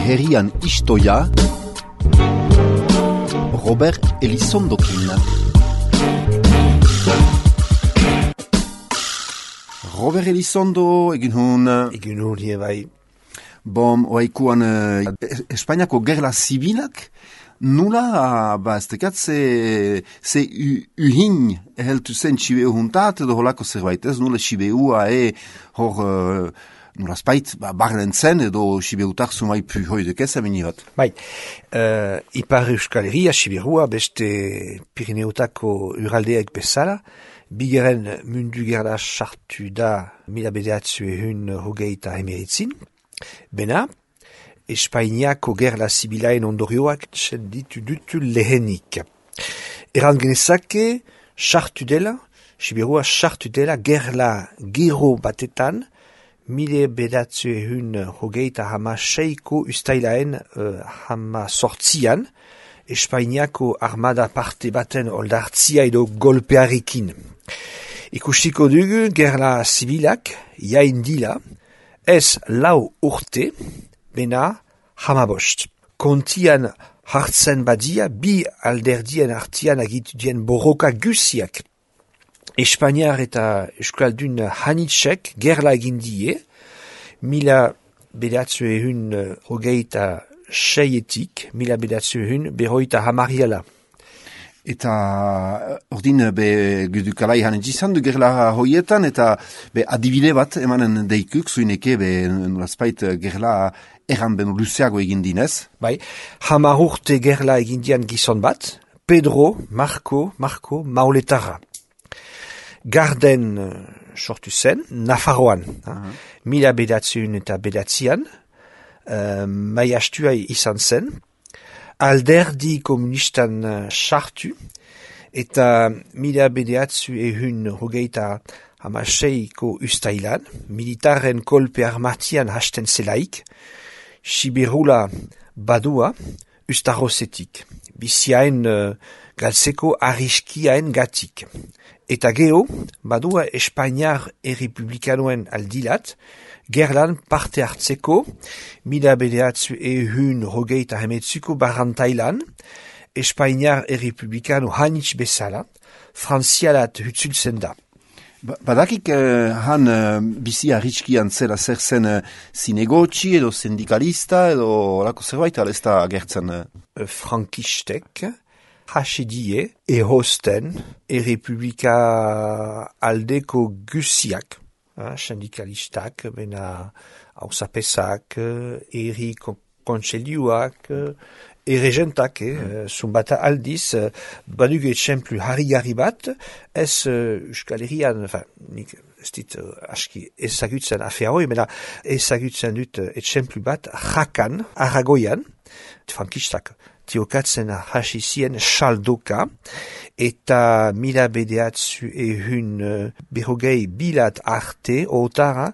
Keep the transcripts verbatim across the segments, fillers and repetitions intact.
herrian istoia, Robert Elizondokin. Robert Elizondo, egin hun... Egin hun, hier bai. Bom, oaikuan uh, Espainiako gerla zibilak, nula, ba, ez tekat, ze, ze uhin eheltu zen txibeu juntat, edo holako zerbait, ez nula txibeua e hor... Uh, Nula spait, ba, barren zen, edo Sibeutak sumai pu hoidek ez amini bat. Bai, uh, Ipar Euskal Herria, Sibirua, beste Pirineotako uraldeak bezala, bigeren mundu gerla sartu da mila bederatzu ehun hogeita emeritzin, bena, Espainiako gerla zibilaen ondorioak ditu dutu lehenik. Eran genezake, sartu dela, Sibirua sartu dela gerla gero batetan, mile bedatzu ehun hogeita hama seiko ustailaen uh, hama sortzian, Espainiako armada parte baten oldartzia edo golpearekin. Ikustiko dugu gerla zibilak, jain dila, ez lau urte, bena hama bost. Kontian hartzen badia, bi alderdien artian agitudien borroka guziak. Espainiar eta Euskaldun hanitxek gerla egin die, mila bedatzu ehun hogeita seietik, mila bedatzu ehun berroita hamariala. Eta ordin be gudukalai hanen izan du gerla hoietan, eta be adibide bat emanen deikuk, zuineke be nolazpait gerla erran beno luzeago egin dinez. Bai, hamar urte gerla egin dian gizon bat, Pedro, Marco, Marco, Mauletarra. Garden uh, sortu zen, Nafarroan, uh-huh. mila bedatzun eta bedatzian, uh, maiastua izan zen, alderdi komunistan uh, sartu, eta mila bedatzu ehun hogeita hamaseiko ustailan, militaren kolpe armatian hasten zelaik, Sibirula badua ustarrozetik, biziaen uh, galtzeko arriskiaen gatik. Eta geho, badua Espainiar errepublikanoen aldilat, gerlan parte hartzeko, mila bedeatzu ehun hogeita hemetzuko barrantailan, Espainiar errepublikano hanitz bezala, frantzialat hutzultzen da. Ba, badakik uh, han uh, bizi arritskian zela zer zen uh, zinegotxi edo sindikalista edo lako zerbait, ala ez da agertzen? Uh. Frankistek, hasidie, ehosten, errepublika aldeko guziak, sindikalistak, bena hausapesak, erri kontseiluak, erregentak, eh, zumbata aldiz, badugu etxemplu harri-garri bat, ez Euskal Herrian, nik ez dit aski ezagutzen afea hoi, bena ezagutzen dut etxemplu bat, Jakan, Aragoian, frankistak, tiokatzen hasi zien saldoka, eta mila bedeatzu ehun uh, berrogei bilat arte, otara,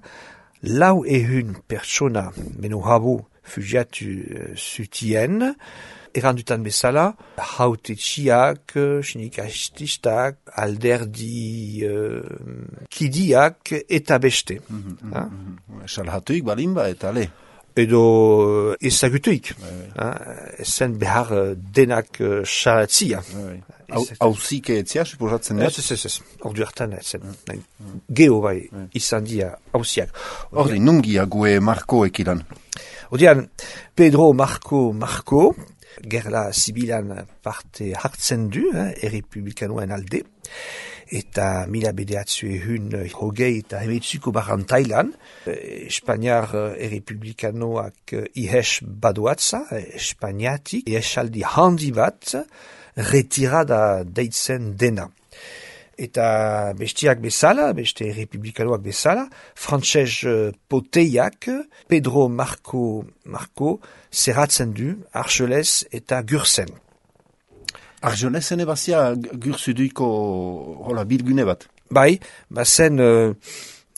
lau ehun pertsona meno habo fugiatu uh, zutien, erandutan bezala, hautetxiak, sinikastistak, alderdi uh, kidiak eta beste. Mm-hmm, mm-hmm. Salhatuik balimba eta le. Edo ezagutuik. Ezen behar denak salatzia. Hauzik etzia, suposatzen ez? Ez, ez, ez. Ordu hartan ezen. Geho bai, izan dia hauziak. Ordi, nungia gue Marco ekilan? Odian, Pedro Marco Marco, gerla zibilan parte hartzen du, errepublikanoen alde, eta mila bedeatzu ehun hogei eta hemetzuko barrantailan, Espainiar errepublikanoak ihes badoatza, Espainiatik, ihesaldi handi bat, retirada deitzen dena. Eta bestiak bezala, beste errepublikanoak bezala, frantses poteiak, Pedro Marco Marco, zerratzen du, Argelez eta Gursen. Arjolezen ebazia gursuduiko hola bilgune bat? Bai, bazen uh,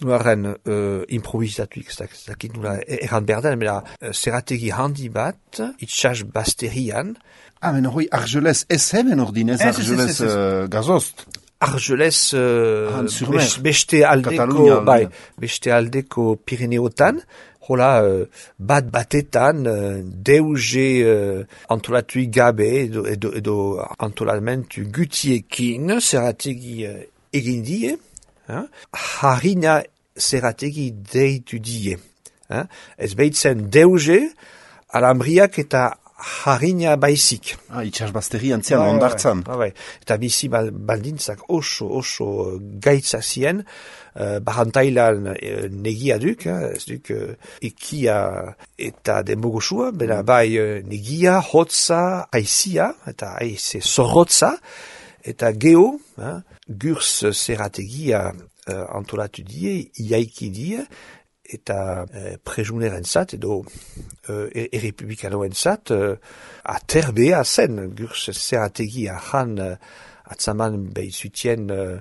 nuaren uh, improvisatuik, ez dakit nula erran berdan, mela uh, zerategi handi bat, itxas basterian. Ah, men hoi Argelez ez hemen ordinez, Argelez uh, gazost? Argelez uh, best, beste aldeko, bai, beste aldeko Pirineotan, hola, uh, bat batetan, uh, deuge uh, antolatui gabe edo, edo, edo antolamentu gutiekin, zerategi uh, egin die, hein? Harina zerategi deitu die. Hein? Ez behitzen deuge, alambriak eta harina baizik. Ah, itxasbazteri antzian, ba, ondartzan. Ba, ba, eta bizi baldintzak oso, oso gaitza zien, uh, barantailan uh, negia duk, uh, ez duk uh, ikia eta demogosua, bera bai uh, negia, hotza, aizia, eta aize zorrotza, eta geho, uh, gurs zerategia uh, antolatu die, iaiki die, eta eh, prejuneren zat, edo eh, errepublikanoen zat, eh, aterbea zen, gurs zerategi ahan eh, atzaman behizutien eh,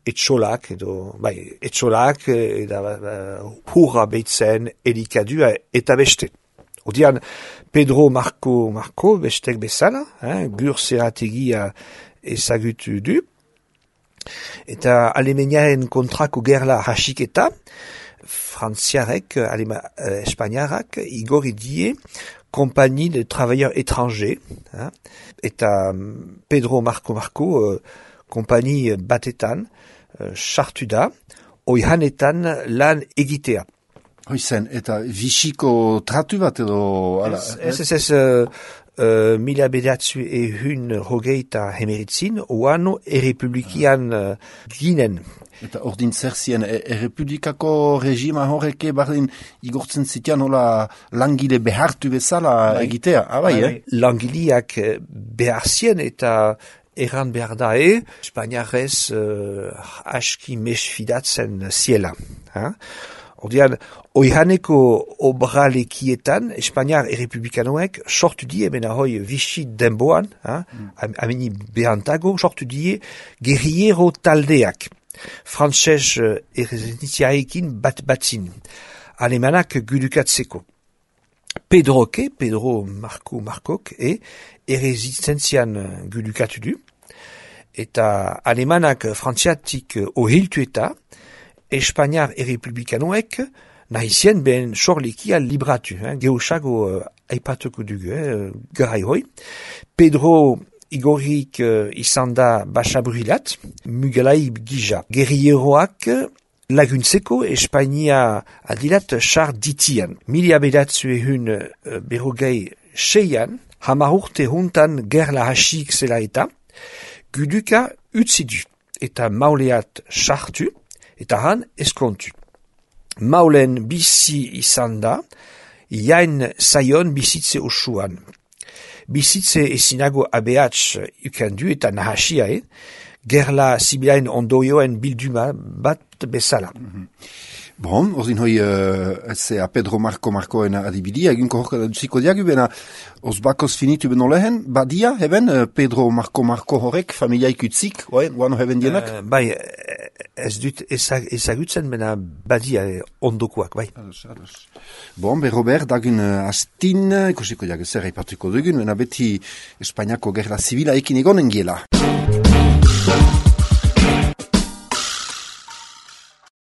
etxolak, edo, bai, etxolak, eh, eta uh, hurra behitzen, elikadua eta beste. Odian, Pedro Marco Marco, bestek bezala, eh, gurs zerategia ezagutu du, eta Alemaniaren kontrako gerla hasiketa, frantziarek, alema, uh, espainiarrak, igorri die, kompagnie de travailleurs étrangers, hein, eta Pedro Marco Marco, uh, kompagnie batetan, uh, sartu da, oihanetan lan egitea. Hoizen, eta Vichyko tratu bat edo... Ala, ez, ez, ez, uh, uh, mila bedatzu ehun hogeita hemeritzin, oano errepublikian uh, ginen. Eta ordin zer zien, errepublikako regima horreke bardin igortzen zitean hola langile behartu bezala egitea, abai, eh? Langileak behar zien eta erran behar da, e, Espainiarrez uh, aski mesfidatzen ziela. Ha? Ordean, oihaneko obralekietan, Espainiar errepublikanoek sortu die, bena hoi Vichy denboan, mm. ameni behantago, sortu die guerriero taldeak. Frantzez uh, errezentiaekin bat batzin. Alemanak gudukatzeko. Pedroke, Pedro Marco Marcok, e errezentzian gudukatu du. Eta alemanak frantziatik ohiltu eta Espainiar errepublikanoek nahizien ben sorlikia libratu. Eh? Geosago uh, aipatuko dugu, eh? garai hoi. Pedro Igorrik uh, izan da basaburilat, mugalai gija. Gerrieroak laguntzeko Espainia adilat char ditian. Mila bedatzu ehun uh, berrogei seian, hamar urte huntan gerla hasik zela eta, guduka utzidu eta mauleat sartu eta han eskontu. Maulen bizi izan da, jain zaion bizitze osuan. Bizitze ezinago abeatz ukandu eta nahasia, eh? Gerla zibilaen ondoioen bilduma bat bezala. Mm-hmm. Bon, ordin hoi, uh, ze a Pedro Marco Marcoen adibidi, eginko horka dutziko diagu, bena osbakoz finitu beno lehen, badia, heben, uh, Pedro Marco Marco horrek, familiaik utzik, oe, guano heben dienak? Uh, bai, ez dut ezagutzen, bena badia eh, ondokoak, bai. Ados, ados. Bon, be Robert, dagun uh, astin, ikosiko diagu zer haipatuko dugun, bena beti Espainiako gerla zibila ekin egonen giela.